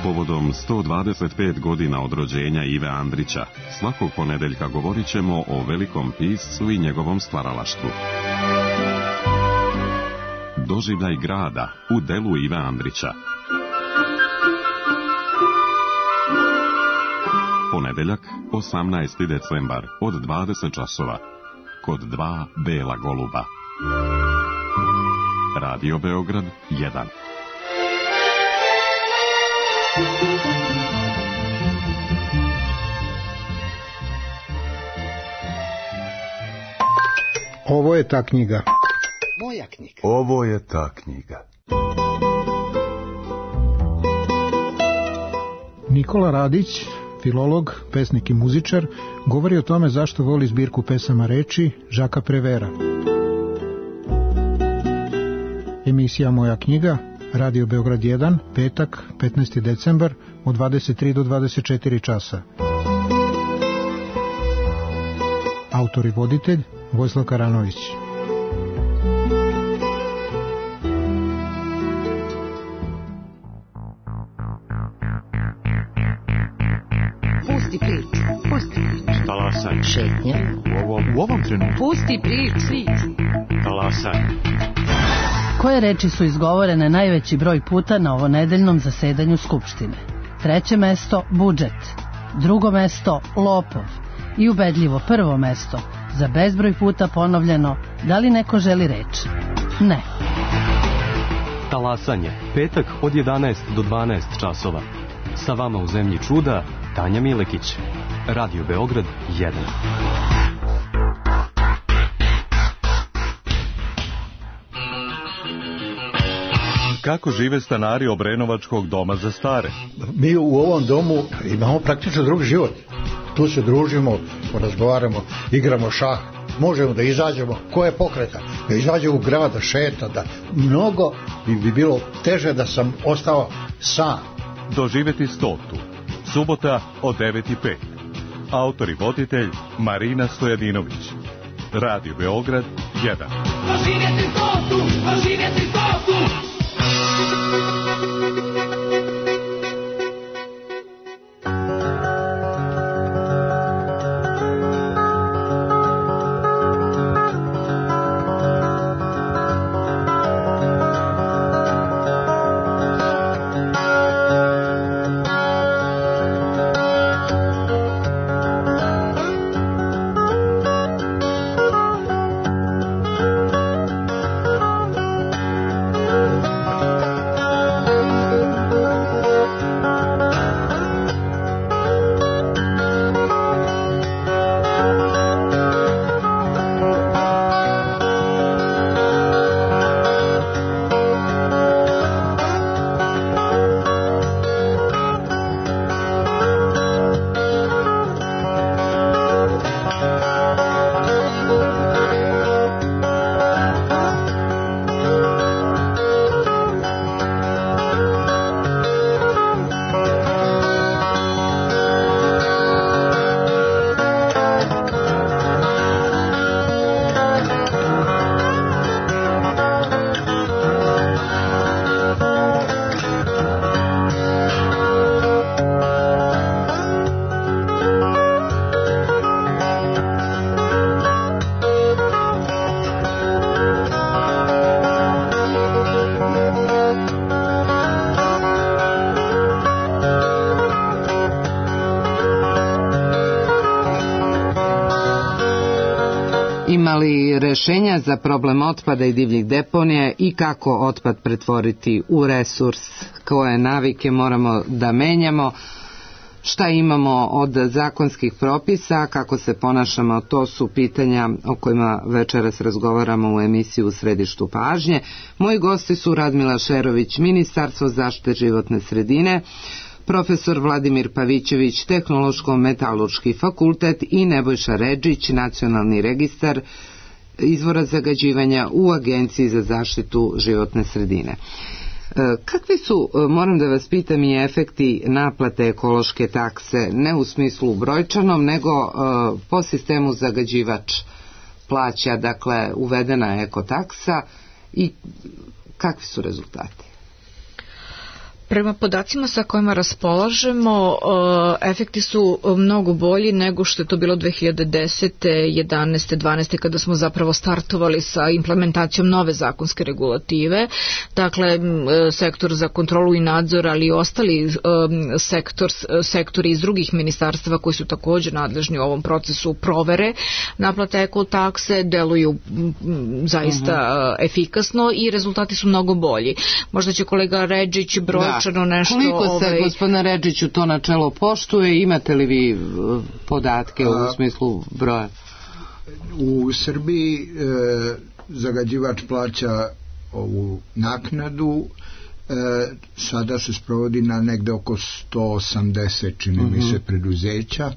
Povodom sto dvadeset pet godina od rođenja Ive Andrića, svakog ponedeljka govorit ćemo o velikom piscu i njegovom stvaralaštvu. Doživljaj grada u delu Ive Andrića. Ponedeljak, osamnaesti decembar, od dvadeset časova. Kod dva bela goluba. Radio Beograd jedan. Ovo je ta knjiga. Moja knjiga. Ovo je ta knjiga. Nikola Radić, filolog, pesnik i muzičar, govori o tome zašto voli zbirku pesama reči Žaka Prevera. Emisija Moja knjiga, Radio Beograd jedan, petak, petnaesti decembar, od dvadeset tri do dvadeset četiri časa. Autor i voditelj Vojislav Karanović. Pusti priču, pusti priču. Talasaj. Šetnja. U ovom, u ovom trenutku. Pusti priču. Talasaj. Koje reči su izgovorene najveći broj puta na ovonedeljnom zasedanju Skupštine? Treće mesto budžet, drugo mesto lopov i ubedljivo prvo mesto za bezbroj puta ponovljeno da li neko želi reč? Ne. Talasanje, petak od jedanaest do dvanaest časova. Sa vama u zemlji čuda Tanja Milekić. Radio Beograd jedan. Kako žive stanari Obrenovačkog doma za stare? Mi u ovom domu imamo praktično drugi život. Tu se družimo, razgovaramo, igramo šah, možemo da izađemo. Ko je pokreta? Da izađe u grad, da šeta, da mnogo bi, bi bilo teže da sam ostao sam. Doživjeti stotu. Subota od devet i pet. Autor i voditelj Marina Stojadinović. Radio Beograd jedan. Doživjeti stotu, doživjeti stotu. Ima li rešenja za problem otpada i divljih deponija i kako otpad pretvoriti u resurs? Koje navike moramo da menjamo? Šta imamo od zakonskih propisa? Kako se ponašamo? To su pitanja o kojima večeras razgovaramo u emisiji U središtu pažnje. Moji gosti su Radmila Šerović, Ministarstvo zaštite životne sredine, profesor Vladimir Pavićević, Tehnološko-metalurški fakultet i Nebojša Redžić, Nacionalni registar izvora zagađivanja u Agenciji za zaštitu životne sredine. Kakvi su, moram da vas pitam, i efekti naplate ekološke takse, ne u smislu brojčanom, nego po sistemu zagađivač plaća, dakle uvedena je ekotaksa, i kakvi su rezultati? Prema podacima sa kojima raspolažemo, efekti su mnogo bolji nego što je to bilo dve hiljade desete, jedanaeste, dvanaeste kada smo zapravo startovali sa implementacijom nove zakonske regulative. Dakle, sektor za kontrolu i nadzor, ali i ostali sektor, sektori iz drugih ministarstava koji su također nadležni u ovom procesu provere naplate ekotakse deluju zaista uh-huh. efikasno i rezultati su mnogo bolji. Možda će kolega Redžić broj nešto, koliko se, ovaj... gospodine Redžiću, to načelo poštuje? Imate li vi podatke u smislu broja? U Srbiji e, zagađivač plaća ovu naknadu, e, sada se sprovodi na negde oko sto osamdeset, čini mi se, preduzeća. E,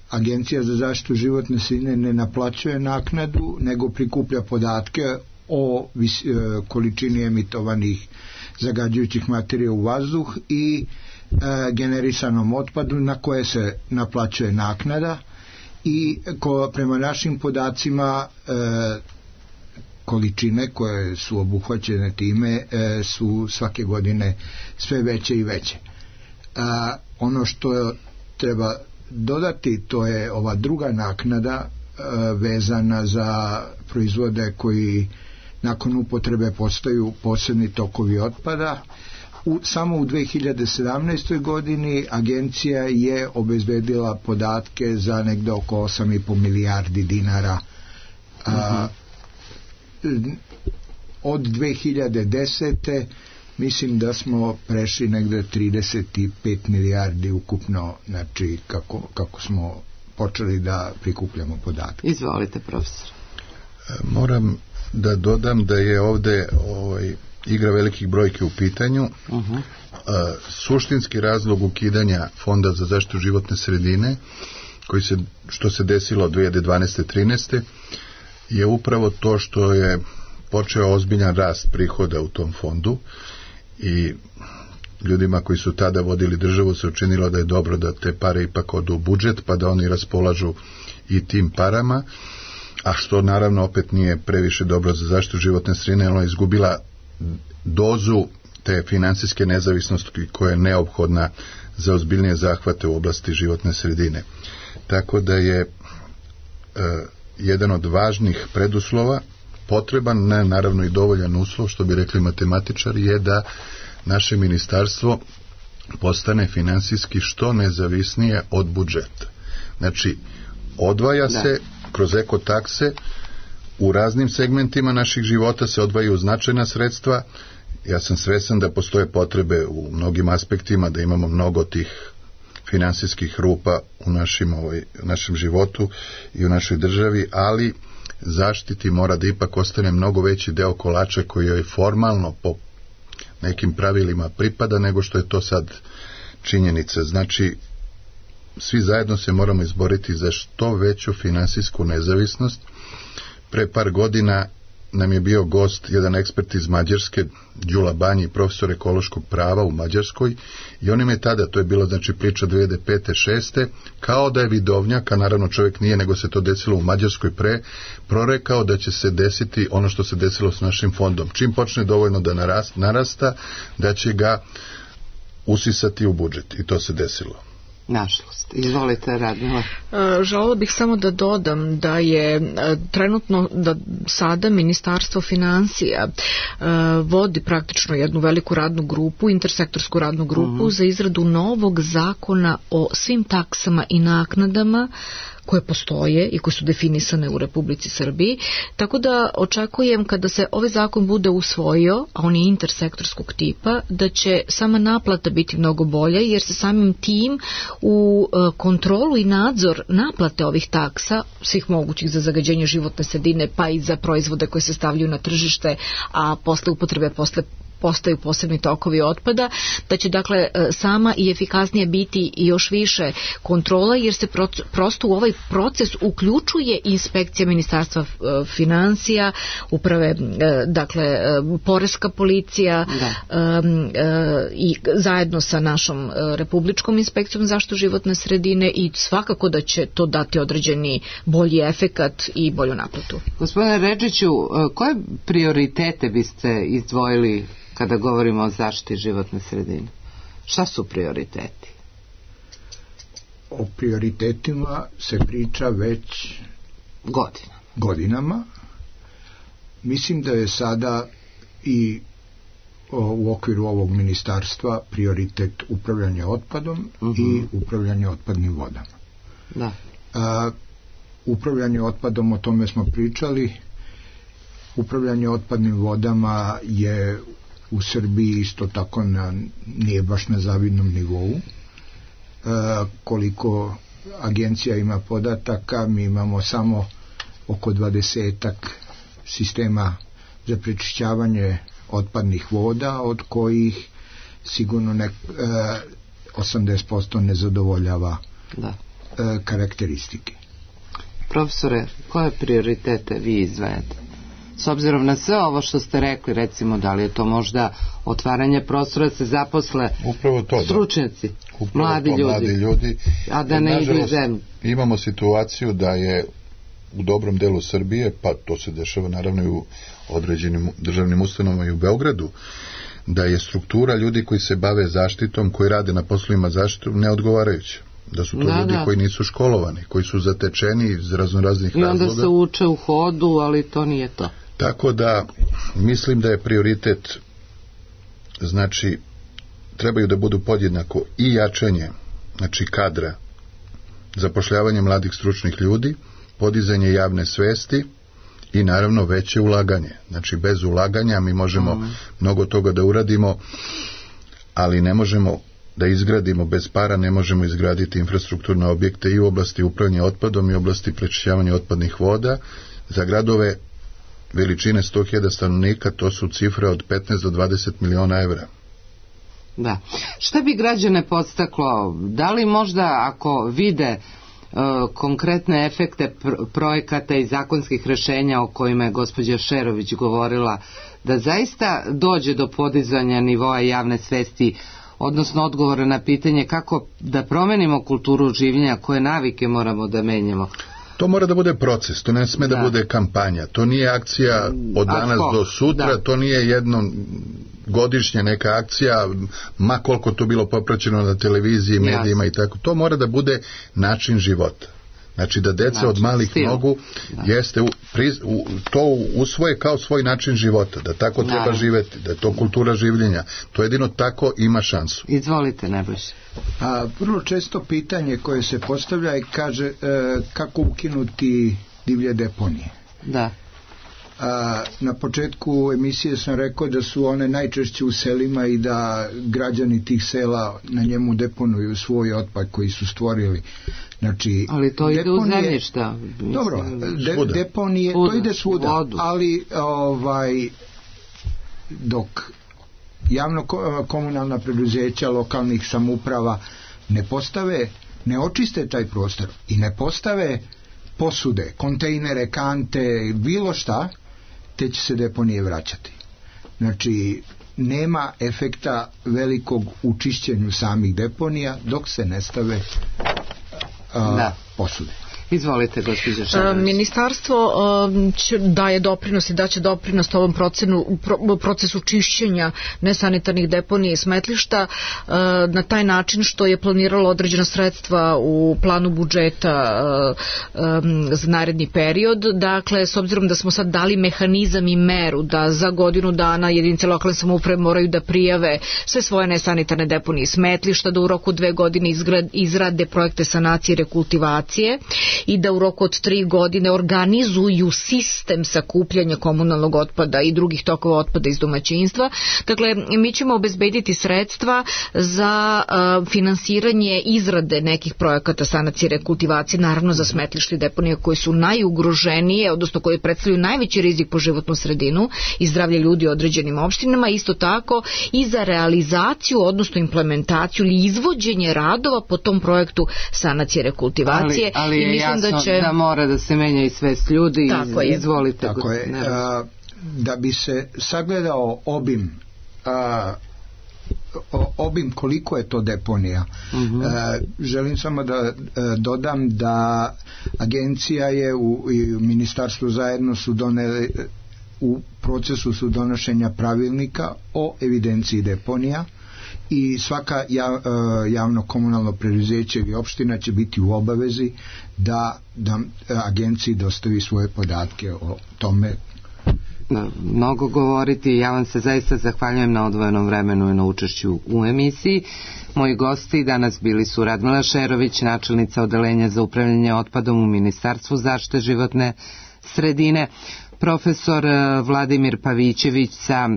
Agencija za zaštitu životne sredine ne naplaćuje naknadu, nego prikuplja podatke o vis, e, količini emitovanih zagađujućih materija u vazduh i e, generisanom otpadu na koje se naplaćuje naknada, i ko, prema našim podacima e, količine koje su obuhvaćene time e, su svake godine sve veće i veće. E, ono što treba dodati, to je ova druga naknada e, vezana za proizvode koji nakon upotrebe postaju posebni tokovi otpada. U, samo u dve hiljade sedamnaestoj godini agencija je obezbedila podatke za negde oko osam i po milijardi dinara. A, od dve hiljade desete mislim da smo prešli negde trideset pet milijardi ukupno, znači kako, kako smo počeli da prikupljamo podatke. Izvolite, profesor. Moram da dodam da je ovde ovaj, igra velikih brojki u pitanju. Uh-huh. A, suštinski razlog ukidanja Fonda za zaštitu životne sredine, koji se, što se desilo od dve hiljade dvanaeste trinaeste, je upravo to što je počeo ozbiljan rast prihoda u tom fondu, i ljudima koji su tada vodili državu se učinilo da je dobro da te pare ipak odu u budžet, pa da oni raspolažu i tim parama, a što naravno opet nije previše dobro za zaštitu životne sredine. Ona je izgubila dozu te finansijske nezavisnosti koja je neophodna za ozbiljnije zahvate u oblasti životne sredine. Tako da je e, jedan od važnih preduslova potreban, ne naravno i dovoljan uslov, što bi rekli matematičari, je da naše ministarstvo postane finansijski što nezavisnije od budžeta. Znači, odvaja da. se kroz ekotakse, u raznim segmentima naših života se odvajaju značajna sredstva. Ja sam svestan da postoje potrebe u mnogim aspektima, da imamo mnogo tih finansijskih rupa u našim, ovaj, našem životu i u našoj državi, ali zaštiti mora da ipak ostane mnogo veći deo kolača koji joj formalno po nekim pravilima pripada nego što je to sad činjenica. Znači, svi zajedno se moramo izboriti za što veću finansijsku nezavisnost. Pre par godina nam je bio gost jedan ekspert iz Mađarske, Đula Banji, profesor ekološkog prava u Mađarskoj, i on im je tada, to je bilo znači priča dve hiljade pete šeste, kao da je vidovnjak, a naravno čovjek nije, nego se to desilo u Mađarskoj pre, prorekao da će se desiti ono što se desilo s našim fondom. Čim počne dovoljno da narasta, narasta da će ga usisati u budžet, i to se desilo. Nažalost. Izvolite, Radmila. Želela bih samo da dodam da je trenutno, da sada Ministarstvo finansija vodi praktično jednu veliku radnu grupu, intersektorsku radnu grupu uh-huh. za izradu novog zakona o svim taksama i naknadama koje postoje i koje su definisane u Republici Srbiji, tako da očekujem kada se ovaj zakon bude usvojio, a on je intersektorskog tipa, da će sama naplata biti mnogo bolja, jer se samim tim u kontrolu i nadzor naplate ovih taksa, svih mogućih za zagađenje životne sredine, pa i za proizvode koje se stavljaju na tržište, a posle upotrebe posle postaju posebni tokovi otpada, da će dakle sama i efikasnije biti i još više kontrola, jer se prosto u ovaj proces uključuje inspekcija Ministarstva finansija, uprave, dakle poreska policija i zajedno sa našom republičkom inspekcijom zaštitu životne sredine, i svakako da će to dati određeni bolji efekat i bolju naplatu. Gospodine Redžiću, koje prioritete biste izdvojili kada govorimo o zaštiti životne sredine? Šta su prioriteti? O prioritetima se priča već Godina. godinama. Mislim da je sada i o, u okviru ovog ministarstva prioritet upravljanje otpadom uh-huh. i upravljanje otpadnim vodama. Da. A, upravljanje otpadom, o tome smo pričali. Upravljanje otpadnim vodama je u Srbiji isto tako na, nije baš na zavidnom nivou. E, koliko agencija ima podataka, mi imamo samo oko dvadesetak sistema za prečišćavanje otpadnih voda, od kojih sigurno ne, e, osamdeset posto ne zadovoljava da. e, karakteristike. Profesore, koje prioritete vi izdvajate? S obzirom na sve ovo što ste rekli, recimo, da li je to možda otvaranje prostora da se zaposle upravo to, stručnjaci, upravo mladi, to, ljudi, mladi ljudi, a da ne idu iz zemlje? Imamo situaciju da je u dobrom delu Srbije, pa to se dešava naravno i u određenim državnim ustanovama i u Beogradu, da je struktura ljudi koji se bave zaštitom, koji rade na poslovima zaštitu, neodgovarajuća. Da su to da, ljudi da. koji nisu školovani, koji su zatečeni iz raznoraznih razloga. I onda se uče u hodu, ali to nije to. Tako da mislim da je prioritet, znači trebaju da budu podjednako i jačanje, znači kadra, zapošljavanje mladih stručnih ljudi, podizanje javne svesti i naravno veće ulaganje. Znači bez ulaganja mi možemo mm. mnogo toga da uradimo, ali ne možemo da izgradimo bez para, ne možemo izgraditi infrastrukturne objekte i u oblasti upravljanja otpadom i u oblasti prečišćavanja otpadnih voda. Za gradove veličine sto hiljada stanovnika to su cifre od petnaest do dvadeset miliona evra. Da. Šta bi građane podstaklo? Da li možda ako vide uh, konkretne efekte pr- projekata i zakonskih rešenja o kojima je gospođa Šerović govorila, da zaista dođe do podizanja nivoa javne svesti, odnosno odgovora na pitanje kako da promenimo kulturu življenja, koje navike moramo da menjamo? To mora da bude proces, to ne sme da, da bude kampanja, to nije akcija od danas do sutra, da. To nije jedno godišnja neka akcija, ma koliko to bilo popraćeno na televiziji, medijima i tako, to mora da bude način života. Znači da deca način, od malih stil. Nogu da. Jeste u, pri, u, to usvoje kao svoj način života, da tako da. Treba živeti, da je to kultura življenja. To jedino tako ima šansu. Izvolite, Nebojša. A vrlo često pitanje koje se postavlja i kaže e, kako ukinuti divlje deponije. Da. A, na početku emisije sam rekao da su one najčešće u selima i da građani tih sela na njemu deponuju svoj otpad koji su stvorili. Znači, ali to ide deponije, u zemljišta. Dobro, de, deponije, svuda, to ide svuda, vodu. Ali ovaj, dok javno komunalna preduzeća lokalnih samouprava ne postave, ne očiste taj prostor i ne postave posude, kontejnere, kante, bilo šta, te će se deponije vraćati. Znači, nema efekta velikog u čišćenju samih deponija dok se ne stave a, da. posude. Izvolite, gospođo Šarović. Ministarstvo će daje doprinos i daće doprinos ovom procenu, pro, procesu čišćenja nesanitarnih deponija i smetlišta na taj način što je planiralo određena sredstva u planu budžeta za naredni period. Dakle, s obzirom da smo sad dali mehanizam i meru da za godinu dana jedinice lokalne samouprave moraju da prijave sve svoje nesanitarne deponije i smetlišta, da u roku dve godine izgrad, izrade projekte sanacije i rekultivacije i da u roku od tri godine organizuju sistem sakupljanja komunalnog otpada i drugih tokova otpada iz domaćinstva. Dakle, mi ćemo obezbediti sredstva za uh, finansiranje izrade nekih projekata sanacije i rekultivacije, naravno za smetlište i deponije koje su najugroženije, odnosno koje predstavljaju najveći rizik po životnu sredinu i zdravlje ljudi u određenim opštinama, isto tako i za realizaciju, odnosno implementaciju ili izvođenje radova po tom projektu sanacije i rekultivacije. Ali, ali i je mislim jasno da, će... da mora da se menja i svest ljudi. Tako iz, je. Izvolite. Tako je. A, da bi se sagledao obim a, obim koliko je to deponija. Uh-huh. E, želim samo da e, dodam da agencija je u, i u ministarstvu zajedno su doneli, u procesu su donošenja pravilnika o evidenciji deponija i svaka jav, e, javno komunalno preduzeće ili opština će biti u obavezi da, da agenciji dostavi svoje podatke o tome. Mnogo govoriti. Ja vam se zaista zahvaljujem na odvojenom vremenu i na učešću u emisiji. Moji gosti danas bili su Radmila Šerović, načelnica odeljenja za upravljanje otpadom u Ministarstvu zaštite životne sredine, profesor Vladimir Pavićević sa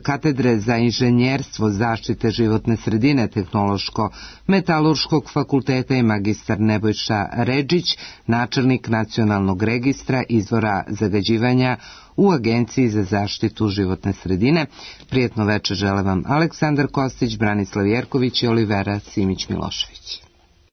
katedre za inženjerstvo zaštite životne sredine Tehnološko-metalurškog fakulteta i magistar Nebojša Redžić, načelnik Nacionalnog registra izvora zagađivanja u Agenciji za zaštitu životne sredine. Prijetno večer žele vam Aleksandar Kostić, Branislav Jerković i Olivera Simić-Milošević.